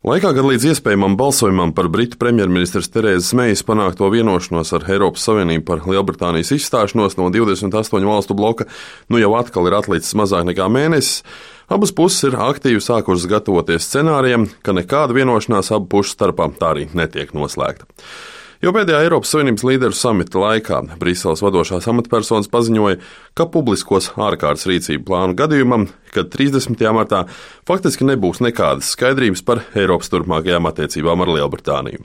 Laikā, kad līdz iespējamam balsojumam par Britu premjerministres Terēzes Meijas panākto vienošanos ar Eiropas Savienību par Lielbritānijas izstāšanos no 28 valstu bloka jau atkal ir atlicis mazāk nekā mēnesis, abas puses ir aktīvi sākušas gatavoties scenārijam, ka nekāda vienošanās abu pušu starpā tā arī netiek noslēgta. Jau pēdējā Eiropas Savienības līderu samita laikā Briseles vadošās amatpersonas paziņoja, ka publiskos ārkārtas rīcību plānu gadījumam, kad 30. martā faktiski nebūs nekādas skaidrības par Eiropas turpmākajām attiecībām ar Lielbritāniju.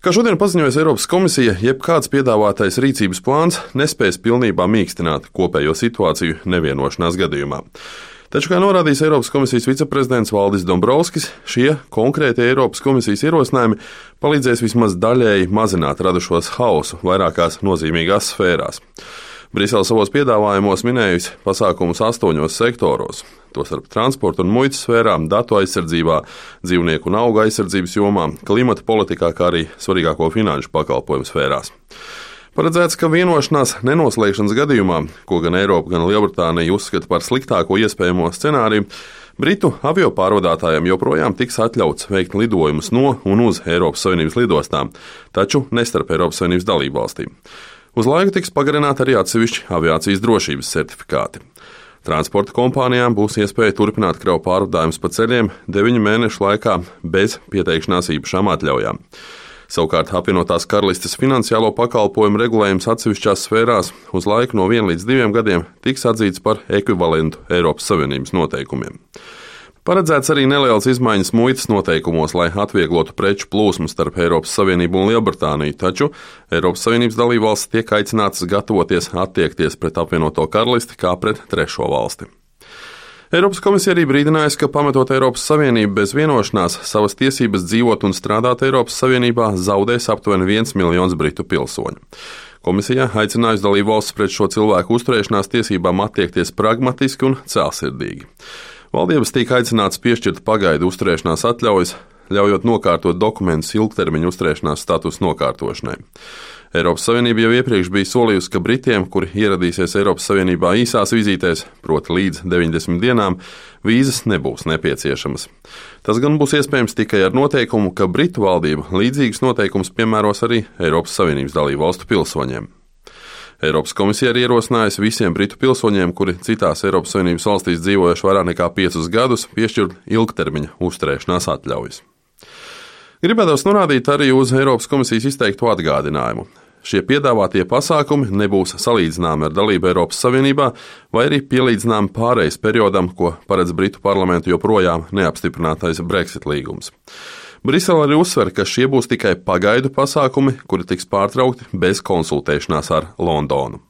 Kā šodien paziņojas Eiropas komisija, jebkāds piedāvātais rīcības plāns nespēs pilnībā mīkstināt kopējo situāciju nevienošanās gadījumā. Taču, kā norādījis Eiropas komisijas viceprezidents Valdis Dombrovskis, šie konkrētie Eiropas komisijas ierosinājumi palīdzēs vismaz daļēji mazināt radušos hausu vairākās nozīmīgās sfērās. Brisele savos piedāvājumos minējusi pasākumus 8 sektoros, tostarp transporta un muitas sfērā, datu aizsardzībā, dzīvnieku un auga aizsardzības jomā, klimata politikā, kā arī svarīgāko finanšu pakalpojumu sfērās. Paredzēts, ka vienošanās nenoslēgšanas gadījumā, ko gan Eiropa, gan Lielbritānija uzskata par sliktāko iespējamo scenāriju, Britu aviopārvadātājiem joprojām tiks atļauts veikt lidojumus no un uz Eiropas Savienības lidostām, taču ne starp Eiropas Savienības dalībvalstīm. Uz laiku tiks pagarināti arī atsevišķi aviācijas drošības certifikāti. Transporta kompānijām būs iespēja turpināt kravu pārvadājumus pa ceļiem 9 mēnešu laikā bez pieteikšanās īpašām atļaujām. Savukārt apvienotās karalistes finansiālo pakalpojumu regulējums atsevišķās sfērās uz laiku no 1 līdz 2 gadiem tiks atzīts par ekvivalentu Eiropas Savienības noteikumiem. Paredzēts arī nelielas izmaiņas muitas noteikumos, lai atvieglotu preču plūsmu starp Eiropas Savienību un Lielbritāniju, taču Eiropas Savienības dalībvalstis tiek aicinātas gatavoties attiekties pret apvienoto karalisti kā pret trešo valsti. Eiropas komisija arī brīdinājusi, ka pametot Eiropas Savienību bez vienošanās, savas tiesības dzīvot un strādāt Eiropas Savienībā zaudēs aptuveni 1 miljons britu pilsoņu. Komisija aicinājusi dalībvalstis pret šo cilvēku uzturēšanās tiesībām attiekties pragmatiski un cēlsirdīgi. Valdības tika aicināts piešķirt pagaidu uzturēšanās atļaujas, ļaujot nokārtot dokumentus ilgtermiņa uzturēšanās statusa nokārtošanai. Eiropas Savienība jau iepriekš bija solījusi, ka Britiem, kuri ieradīsies Eiropas Savienībā īsās vizītēs, proti līdz 90 dienām, vīzas nebūs nepieciešamas. Tas gan būs iespējams tikai ar noteikumu, ka Britu valdība līdzīgus noteikumus piemēros arī Eiropas Savienības dalībvalstu pilsoņiem. Eiropas komisija arī ierosinājusi visiem Britu pilsoņiem, kuri citās Eiropas Savienības valstīs dzīvojuši vairāk nekā 5 gadus, piešķirt ilgtermiņa uzturēšanās atļaujas. Gribētos norādīt arī uz Eiropas komisijas izteikto atgādinājumu. Šie piedāvātie pasākumi nebūs salīdzināmi ar dalību Eiropas Savienībā vai arī pielīdzināmi pārejas periodam, ko paredz Britu parlamentu joprojām neapstiprinātais Brexit līgums. Brisele arī uzsver, ka šie būs tikai pagaidu pasākumi, kuri tiks pārtraukti bez konsultēšanās ar Londonu.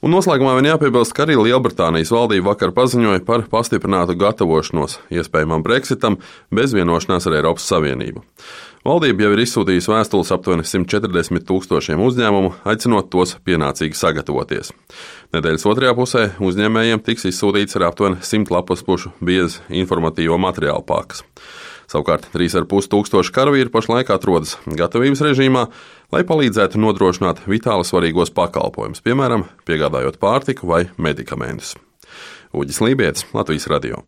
Un noslēgumā vien jāpiebilst, ka arī Lielbritānijas valdība vakar paziņoja par pastiprinātu gatavošanos iespējamam Brexitam bez vienošanās ar Eiropas Savienību. Valdība jau ir izsūtījusi vēstules aptuveni 140 000 uzņēmumu, aicinot tos pienācīgi sagatavoties. Nedēļas otrajā pusē uzņēmējiem tiks izsūtīts ar aptuveni 100 lapuspušu biezas informatīvo materiālu pakas. Savukārt 3500 karavīri pašlaik atrodas gatavības režīmā, lai palīdzētu nodrošināt vitāli svarīgos pakalpojumus, piemēram, piegādājot pārtiku vai medikamentus. Uģis Lībietis, Latvijas radio.